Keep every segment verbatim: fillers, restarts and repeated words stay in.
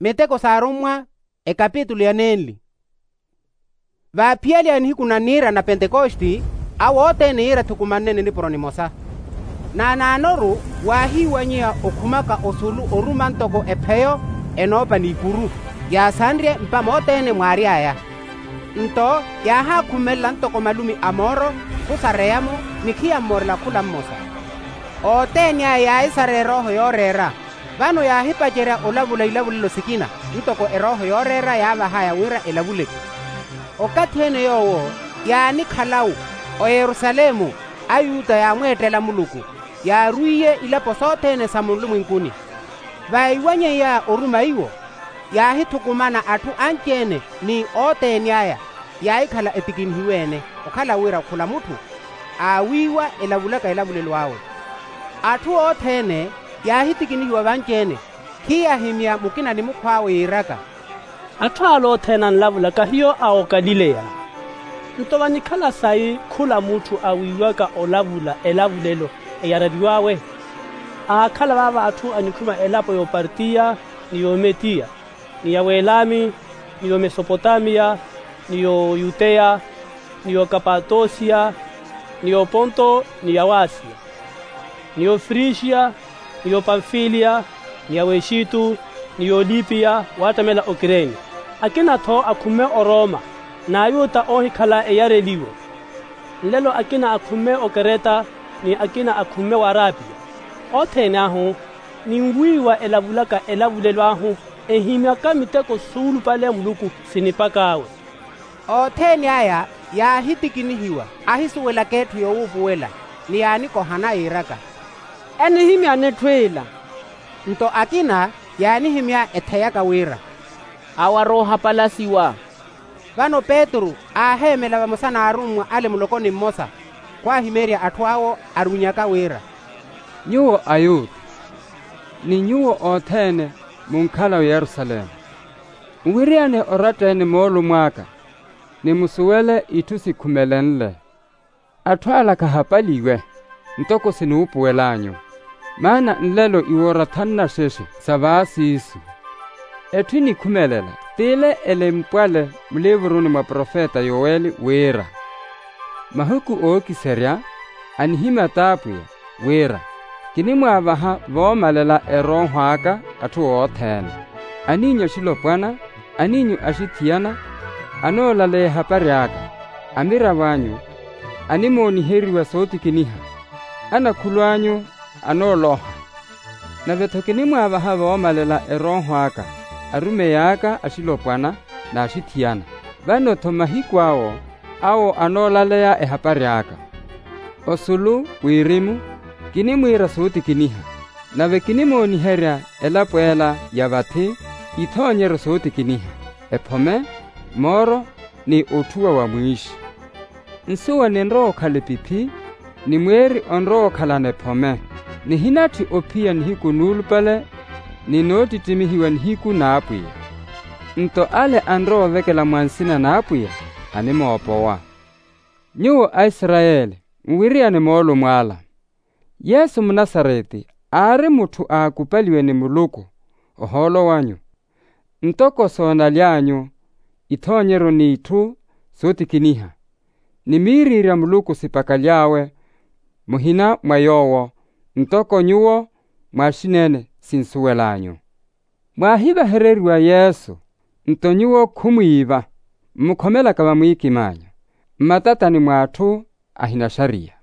Miteko s'arummwa, ekapitulu ya nenli. Vaaphiyaliha nihiku na niira na pentekosti, awo othene yiira athukumannene nipuro nimosa. Naanaanoru waahiiwanyiha okhumaka osulu oruma ntoko epheyo enoopa n'ikuru, yaasanrye mpamo othene mwaary'aya. Nto yaahaakhumelela ntoko malumi a mooro, khusareyamo, ni khiyammorela khula mmosa. Othene aya yaahisarya erooho yooreera. Vano yaahipacerya olavula ilavulelo sikina, ntoko erooho yooreera yaavahaya wira elavuleke. Okathi ene yoowo, yaanikhalawu oyerusalemu, ayuta yaamweettela muluku, yaarwiiye ilapo sothene sa munlumwenkuni. Vaiwanyeiya oruma iwo, yaahithukumana atthu anci-ene, ni othene aya yaahikhala etikinihiwe-ene, okhala wira khula mutthu aawiiwa elavulaka elavulelo awe. Atthu othene yaahitikinihiwa vanci-ene, khiyaahimya mukina ni mukhw'awe yiiraka, atthu ale othene anlavulaka hiyo a okalileya. Nto vanikhala sayi khula mutthu awiiwaka olavula elavulelo eyareriw'awe? Aakhala vaava atthu anikhuma elapo y'opartiya, ni y'ometiya, ni ya welami, ni y'omesopotamiya, ni y'oyuteya, ni y'okapatosiya, ni y'oponto, ni ya wasiya, ni y'ofrixiya, ni y'opamfiliya, ni ya wexittu, ni y'olipiya, waattamela okireni. Akina-tho akhumme oroma, n'ayuta oohikhala eyareliwo. Nlelo akina akhumme okereta, ni akina akhumme w'arapiya. Othene ahu, ninwiiwa elavulaka elavulelo ahu, ehimyaka miteko suulupale a muluku sinipak'awe. Othene aya yaahitikinihiwa, ahisuwelaka etthu yoowuupuwela, ni yaanikohana yiiraka, enihimyani etthu ila. Nto akina yaanihimya etheyaka wira, awo aroohapalasiwa. Vano petru aaheemela vamosa n'arummwa ale mulokoni mmosa, khwaahimeerya atthu awo arunnyaka wira, nyuwo ayuta, ni nyuwo othene munkhala oyerusalemu, nwiriyane oratta-ene moolumo aka, ni musuwele itthu sikhumelenle. Atthu ala khahapaliwe, ntoko sinuupuwel'anyu, maana nlelo iwora thanna sheshe sa vaasiisu. Etthu enikhumelela t'ile elempwale muliivuruni mwa profeta yoweli wira, mahiku ookiserya anihimya t'apwiya, wira, kinimwaavaha voomalela erooho aka atthu othene, aniinyu axilopwana, aniinyu axithiyana, anoolaleya ehapari aka. Amiravo anyu animooniheriwa sootikiniha, anakhulu anyu anooloha. Nave-tho kinimwaavaha voomalela erooho aka arumeyi aka axilopwana n'axithiyana. Vano-tho mahiku awo, awo anoolaleya ehapari aka. Osulu wirimu, kinimwiira sootikiniha, nave kinimooniherya elapo ela ya vathi ithoonyeryo sootikiniha, ephome, mooro, ni otthuwa wa mwiixi. Nsuwa ninrowa okhala epiphi, ni mweeri onrowa okhalana ephome. Nihinatthi ophiya nihiku nuulupale, ni noottittimihiwa nihiku n'apwiya. Nto ale anrowa ovekela mwa nsina n'apwiya, animoopowa. Nyuwo aisarayeli, nwiriyane moolumo ala. Yesu munasareti aari mutthu aakupaliwe ni muluku, ohoolo wanyu, ntoko soonaly'anyu, ithoonyeryo n'itthu sootikiniha, ni miiriirya muluku sipakaly'awe, muhina mwa yoowo, ntoko nyuwo mwaaxineene sinsuwel'anyu. Mwaahivahereriwa yesu, nto nyuwo khumwiiva mmukhomelaka vamwiikim'anyu, mmatatani mw'atthu ahinaxariya.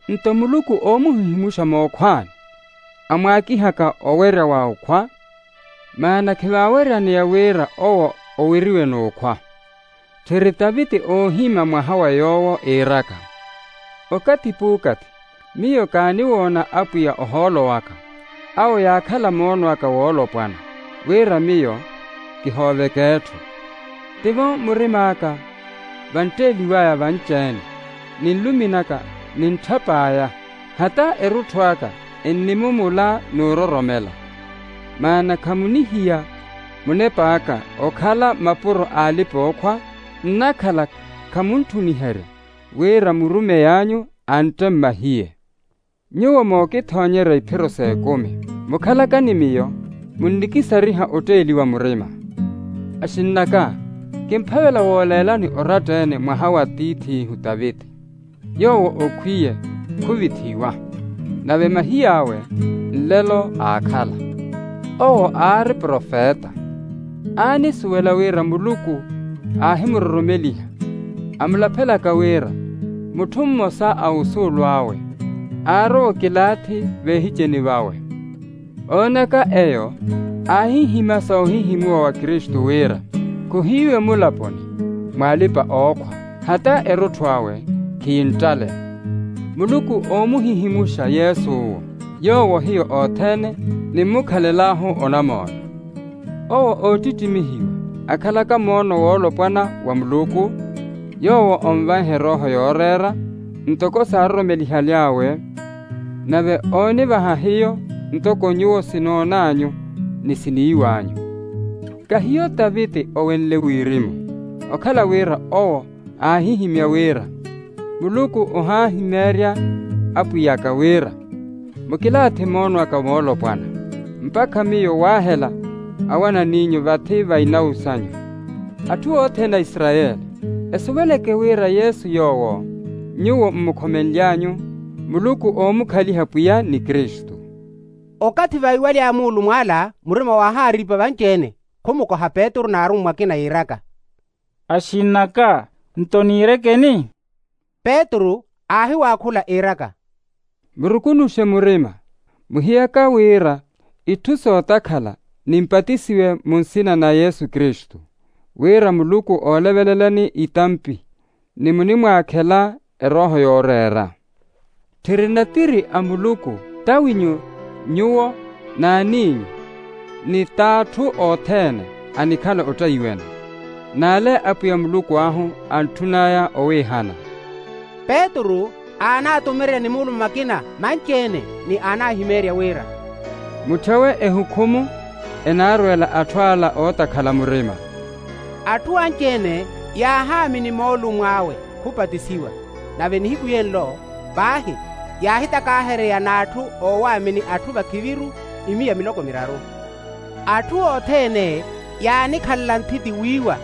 Nto muluku oomuhihimuxa mookhwani, amwaakihaka owerya wa okhwa, maana khivaaweryaneya wira owo oweriwe n'okhwa. Tthiri taviti oohimya mwaha wa yoowo iiraka, okathi p'ukathi miyo kaaniwoona apwiya ohoolo waka, awo yaakhala moono aka woolopwana, wira miyo kihooveke etthu. Tivo murim'aka vantteeliw'aya vanci-ene, ni nlumi naka ni ntthap'aya, hata erutthu aka ennimumula n'uroromela. Maana khamunihiya munep'aka okhala mapuro a alipa-ookhwa, nnakhala khamuntthuniherya wira murumey'anyu antte mmahiye. Nyuwo mookithoonyerya iphiro s'ekumi, mukhalaka ni miyo, munnikisariha otteeliwa murima. Axinn'aka, kimphavela wooleelani oratta-ene mwaha wa tiith'ihu taviti, yoowo okhwiye khuvithiwa, nave mahiy'awe nlelo aakhala. Owo aari profeta, aanisuwela wira muluku aahimuroromeliha, amulaphelaka wira mutthu mmosa a osuulu awe aarowa okilaathi veehiceni vawe. Oonaka eyo, aahihima soohihimuwa wa kristu wira khuhiiwe mulaponi mwa alipa-ookhwa, hata erutthu awe khiinttalela. Muluku oomuhihimuxa yesu owo, yoowo hiyo othene nimmukhalel'ahu onamoona. Owo oottittimihiwa akhalaka moono woolopwana wa muluku, yoowo onvanhe erooho yooreera ntoko saaroromelihaly'awe, nave oonivaha hiyo ntoko nyuwo sinoon'anyu ni siniiw'anyu. Kahiyo taviti owenle wirimu, okhala wira owo aahihimya wira, muluku ohaahimeerya apwiy'aka wira, mukilaathi moono aka moolopwana, mpakha miyo waahela awanan'inyu vathi va inawu sanyu. Atthu othene a isarayeli, esuweleke wira yesu yoowo nyuwo mmukhomenly'anyu, muluku oomukhaliha pwiya ni kristu. Okathi vaiwaly'aya muulumw'ala, murima waahaariipa vanci-ene, khumukoha petru n'arummwa akina yiiraka, axin'aka, nto niirekeni? Petru aahiwaakhula iiraka, murukunuxe murima, muhiyaka wira itthu sootakhala nimpatisiwe mu nsina na yesu kristu, wira muluku oolevelelani itampi ni munimwaakhela erooho yooreera. Tthiri natiri a muluku, t'awinyu nyuwo n'aniinyu, ni t'atthu othene anikhala ottayiwene, n'ale apwiya muluku ahu antthun'aya owiihana. Petru aanaatumererya ni muulume akina manci-ene, ni aanahimeerya wira, mutthewe ehukhumu enaarweela atthu ala ootakhala murima. Atthu anci-ene yaahaamini moolumo awe khupatisiwa, nave nihiku yenlo paahi yaahitakahereya n'atthu oowaamini atthu vakhiviru imiya miloko miraru. Atthu othene yaanikhalela nthiti wiiwa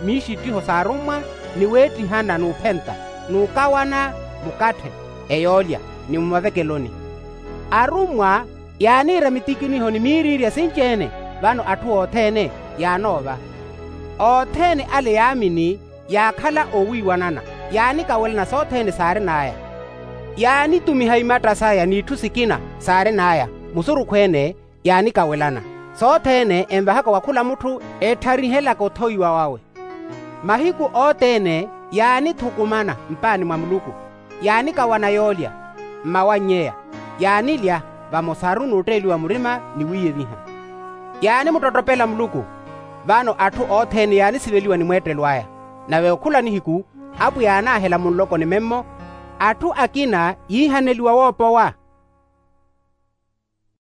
miixittiho s'arummwa, ni weettihana n'uphenta, n'ukawana mukatthe, eyoolya, ni mumavekeloni. Arummwa yaaniira mitikiniho ni miiriirya sinci-ene, vano atthu othene yaanoova. Othene ale yaamini yaakhala oowiiwanana, yaanikawelana sothene saarin'aya. Yaanitumiha imatta saya n'itthu sikina saarin'aya, musurukhu-ene yaanikawelana. Sothene envahaka wa khula mutthu eettharihelaka othowiwa wawe. Mahiku othene yaanithukumana mpaani mwa muluku, yaanikawana yoolya, mmawannyeya, yaanilya vamosaru n'utteeliwa murima ni wiiyeviha. Yaanimuttottopela muluku, vano atthu othene yaanisiveliwa ni mweettelo aya. Nave okhula nihiku apwiya yaanaahela munloko ni memmo, atthu akina yiihaneliwa woopowa.